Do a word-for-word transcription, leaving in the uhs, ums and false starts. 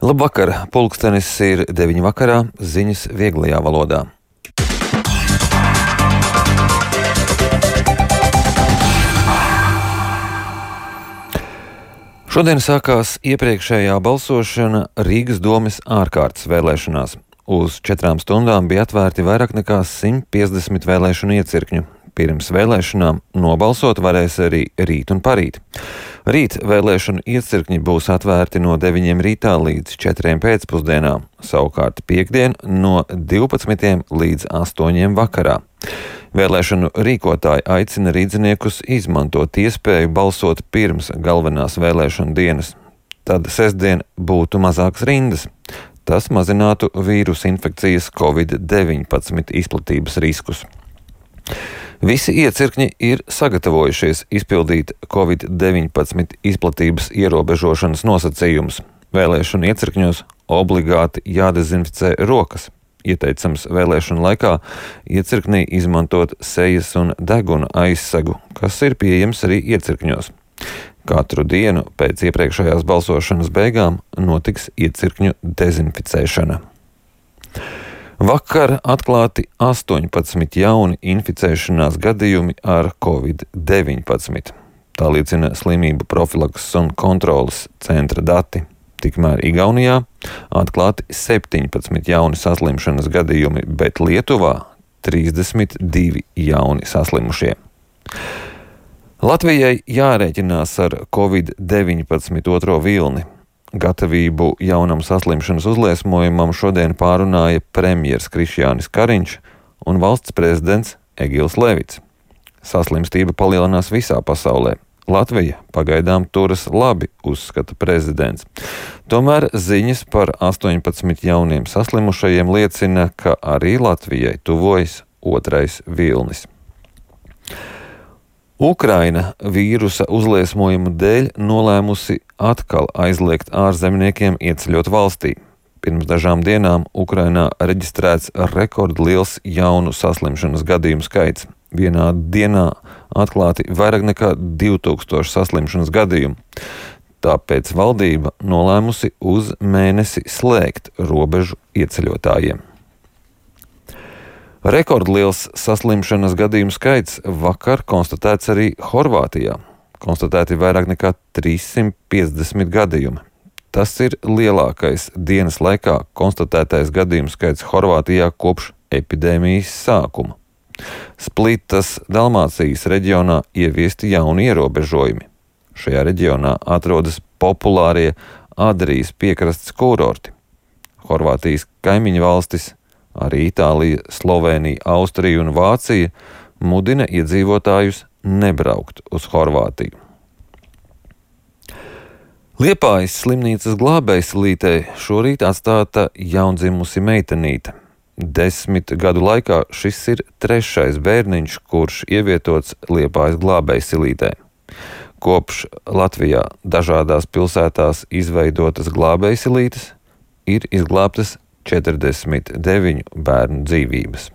Labvakar, pulkstenis ir deviņi vakarā, ziņas vieglajā valodā. Šodien sākās iepriekšējā balsošana Rīgas domes ārkārtas vēlēšanās. Uz četrām stundām bija atvērti vairāk nekā simt piecdesmit vēlēšanu iecirkņu. Pirms vēlēšanām nobalsot varēs arī rīt un parīt. Rīt vēlēšanu iecirkņi būs atvērti no deviņiem rītā līdz četriem pēcpusdienā, savukārt piektdien no divpadsmitiem līdz astoņiem vakarā. Vēlēšanu rīkotāji aicina rīdziniekus izmantot iespēju balsot pirms galvenās vēlēšanu dienas. Tad sestdien būtu mazākas rindas. Tas mazinātu vīrusu infekcijas covid deviņpadsmit izplatības riskus. Visi iecirkņi ir sagatavojušies izpildīt covid deviņpadsmit izplatības ierobežošanas nosacījumus. Vēlēšanu iecirkņos obligāti jādezinficē rokas. Ieteicams vēlēšanu laikā iecirknī izmantot sejas un deguna aizsegu, kas ir pieejams arī iecirkņos. Katru dienu pēc iepriekšējās balsošanas beigām notiks iecirkņu dezinficēšana. Vakar atklāti astoņpadsmit jauni inficēšanās gadījumi ar covid deviņpadsmit. Tā liecina slimību profilakses un kontroles centra dati. Tikmēr Igaunijā atklāti septiņpadsmit jauni saslimšanas gadījumi, bet Lietuvā trīsdesmit divi jauni saslimušie. Latvijai jārēķinās ar covid deviņpadsmit otro vilni. Gatavību jaunam saslimšanas uzliesmojumam šodien pārunāja premjers Krišjānis Kariņš un valsts prezidents Egils Levits. Saslimstība palielinās visā pasaulē. Latvija pagaidām turas labi, uzskata prezidents. Tomēr ziņas par astoņpadsmit jauniem saslimušajiem liecina, ka arī Latvijai tuvojas otrais vilnis. Ukraina vīrusa uzliesmojumu dēļ nolēmusi atkal aizliegt ārzemniekiem ieceļot valstī. Pirms dažām dienām Ukrainā reģistrēts rekordliels jaunu saslimšanas gadījumu skaits. Vienā dienā atklāti vairāk nekā divi tūkstoši saslimšanas gadījumu. Tāpēc valdība nolēmusi uz mēnesi slēgt robežu ieceļotājiem. Rekordliels saslimšanas gadījumu skaits vakar konstatēts arī Horvātijā. Konstatēti vairāk nekā trīssimt piecdesmit gadījumi. Tas ir lielākais dienas laikā konstatētais gadījumu skaits Horvātijā kopš epidēmijas sākuma. Splitas Dalmācijas reģionā ieviesti jauni ierobežojumi. Šajā reģionā atrodas populārie Adrijas piekrastes kurorti. Horvātijas kaimiņu valstis, arī Itālija, Slovēnija, Austrija un Vācija mudina iedzīvotājus nebraukt uz Horvātiju. Liepājas slimnīcas Glābējsilītē šorīt atstāta jaundzimusi meitenīte. Desmit gadu laikā šis ir trešais bērniņš, kurš ievietots Liepājas Glābējsilītē. Kopš Latvijā dažādās pilsētās izveidotas glābējsilītes ir izglābtas četrdesmit deviņu bērnu dzīvības.